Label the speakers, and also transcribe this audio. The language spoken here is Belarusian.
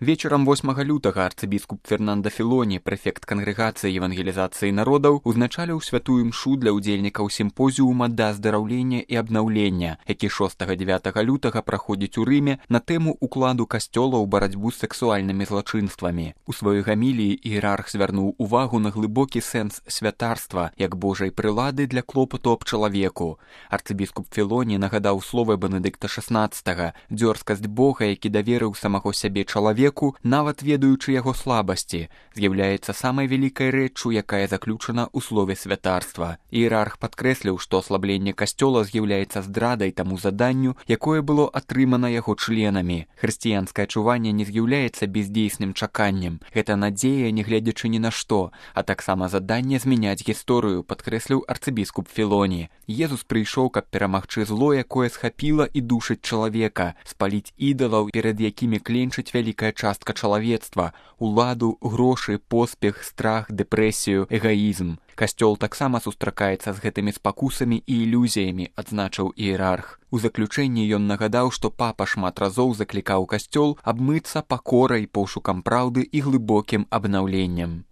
Speaker 1: Вечарам 8 лютага арцыбіскуп Фернандо Філоні, прэфект кангрэгацыі евангелізацыі народаў, узначаліў святую мшу для ўдзельнікаў сімпозіума да аздараўлення і абнаўлення, які 6-9 лютага праходзіць у Рыме на тэму укладу касцёла ў барацьбу з сексуальнымі злачынствамі. У сваёй гаміліі іерарх звярнуў увагу на глыбокі сэнс святарства як Божай прылады для клопату аб чалавеку. Арцыбіскуп Філоні нагадаў словы Бенедыкта XVI: «Дзёрзкасць Бога, які даверыў самого сябе чалавеку, нават ведаючы яго слабасці, з'яўляецца самай вялікай рэччу, якая заключана ў слове святарства». Іерарх падкрэсліў, што аслабленне касцёла з'яўляецца здрадай таму заданню, якое было атрымана яго членамі. Хрысціянскае чуванне не з'яўляецца бездзейсным чаканнем. Гэта надзея, не гледзячы ні на што, а таксама заданне змяняць гісторыю, падкрэсліў арцыбіскуп Філоні. Езус прыйшоў, каб перамагчы зло, якое схапіла і душыць чалавека, спаліць ідалаў, перад якімі кленчыць вялікая частка чалавецтва, уладу, грошы, поспех, страх, дэпрэсію, эгаізм. Касцёл таксама сустракаецца з гэтымі спакусамі і ілюзіямі, адзначыў іерарх. У заключэнні ён нагадаў, што папа шмат разоў заклікаў касцёл абмыцца пакорай, пошукам праўды і глыбокім абнаўленнем.